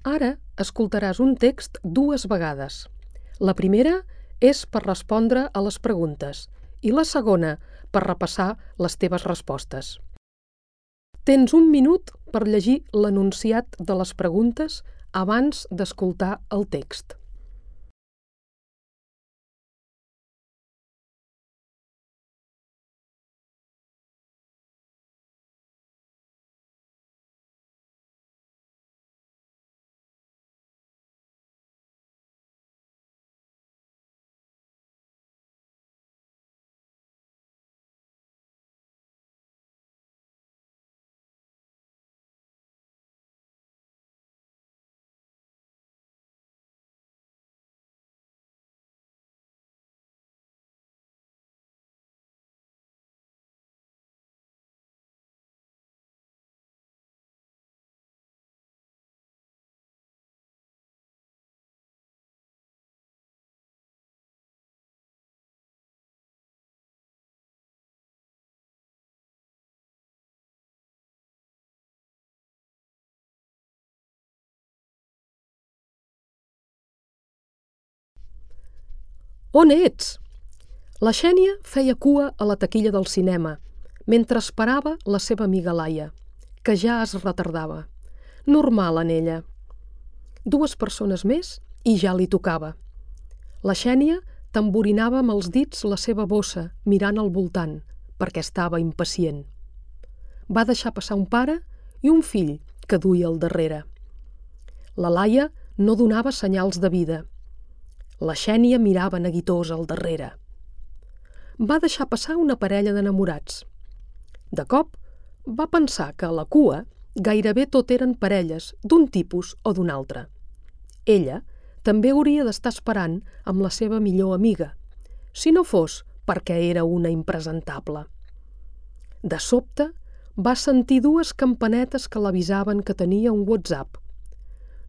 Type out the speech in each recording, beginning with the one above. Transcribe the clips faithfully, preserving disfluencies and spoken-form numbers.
Ara escoltaràs un text dues vegades. La primera és per respondre a les preguntes i la segona per repassar les teves respostes. Tens un minut per llegir l'enunciat de les preguntes abans d'escoltar el text. On ets? La Xènia feia cua a la taquilla del cinema, mentre esperava la seva amiga Laia, que ja es retardava. Normal en ella. Dues persones més i ja li tocava. La Xènia tamborinava amb els dits la seva bossa, mirant al voltant, perquè estava impacient. Va deixar passar un pare i un fill que duia al darrere. La Laia no donava senyals de vida. La Xènia mirava neguitós al darrere. Va deixar passar una parella d'enamorats. De cop, va pensar que a la cua gairebé tot eren parelles d'un tipus o d'un altre. Ella també hauria d'estar esperant amb la seva millor amiga, si no fos perquè era una impresentable. De sobte, va sentir dues campanetes que l'avisaven que tenia un WhatsApp.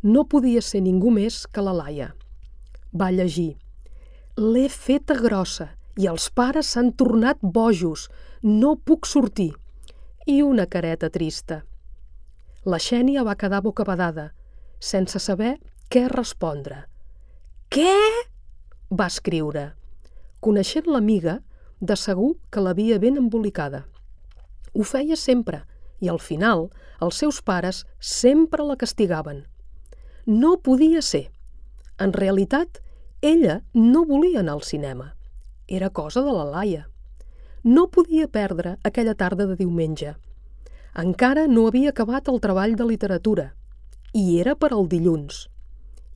No podia ser ningú més que la Laia. Va llegir: «L'he feta grossa i els pares s'han tornat bojos. No puc sortir». I una careta trista. La Xènia va quedar bocabadada, sense saber què respondre. «Què?» va escriure. Coneixent l'amiga, de segur que l'havia ben embolicada. Ho feia sempre i al final els seus pares sempre la castigaven. No podia ser. En realitat, ella no volia anar al cinema. Era cosa de la Laia. No podia perdre aquella tarda de diumenge. Encara no havia acabat el treball de literatura i era per al dilluns.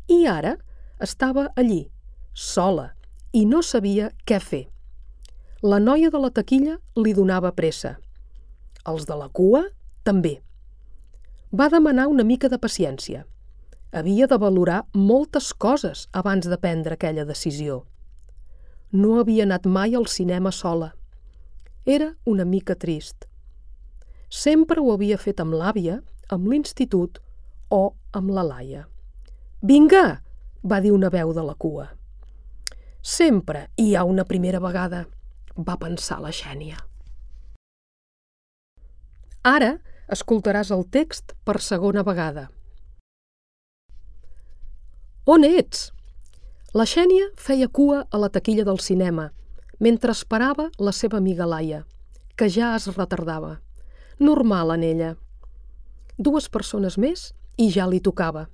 I ara estava allí, sola, i no sabia què fer. La noia de la taquilla li donava pressa. Els de la cua, també. Va demanar una mica de paciència. Havia de valorar moltes coses abans de prendre aquella decisió. No havia anat mai al cinema sola. Era una mica trist. Sempre ho havia fet amb l'àvia, amb l'institut o amb la Laia. «Vinga!» va dir una veu de la cua. «Sempre hi ha una primera vegada», va pensar la Xènia. Ara escoltaràs el text per segona vegada. On ets? La Xènia feia cua a la taquilla del cinema, mentre esperava la seva amiga Laia, que ja es retardava. Normal en ella. Dues persones més i ja li tocava.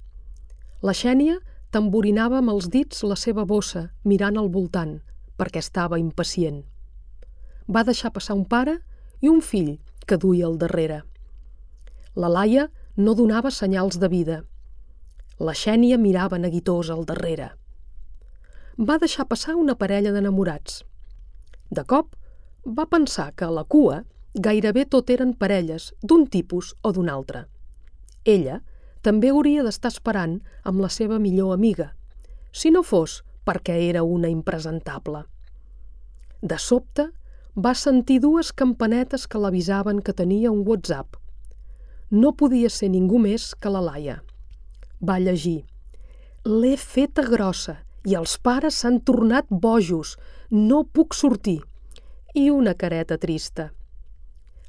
La Xènia tamborinava amb els dits la seva bossa, mirant al voltant, perquè estava impacient. Va deixar passar un pare i un fill que duia al darrere. La Laia no donava senyals de vida. La Xènia mirava neguitós al darrere. Va deixar passar una parella d'enamorats. De cop, va pensar que a la cua gairebé tot eren parelles d'un tipus o d'un altre. Ella també hauria d'estar esperant amb la seva millor amiga, si no fos perquè era una impresentable. De sobte, va sentir dues campanetes que l'avisaven que tenia un WhatsApp. No podia ser ningú més que la Laia. Va llegir: «L'he feta grossa i els pares s'han tornat bojos. No puc sortir». I una careta trista.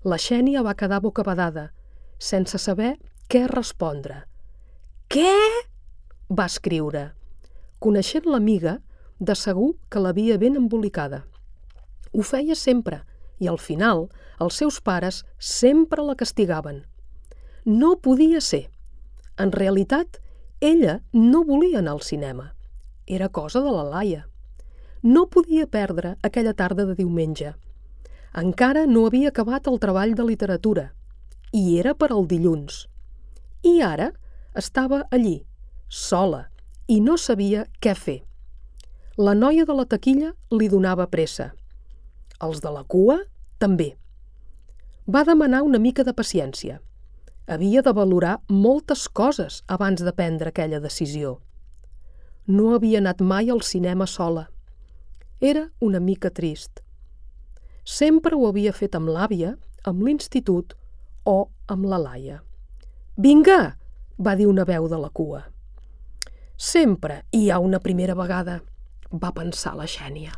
La Xènia va quedar bocabadada, sense saber què respondre. Què? Va escriure. Coneixent l'amiga, de segur que l'havia ben embolicada. Ho feia sempre, i al final els seus pares sempre la castigaven. No podia ser. En realitat, ella no volia anar al cinema. Era cosa de la Laia. No podia perdre aquella tarda de diumenge. Encara no havia acabat el treball de literatura, i era per al dilluns. I ara estava allí, sola, i no sabia què fer. La noia de la taquilla li donava pressa. Els de la cua, també. Va demanar una mica de paciència. Havia de valorar moltes coses abans de prendre aquella decisió. No havia anat mai al cinema sola. Era una mica trist. Sempre ho havia fet amb l'àvia, amb l'institut o amb la Laia. «Vinga!», va dir una veu de la cua. «Sempre hi ha una primera vegada», va pensar la Xènia.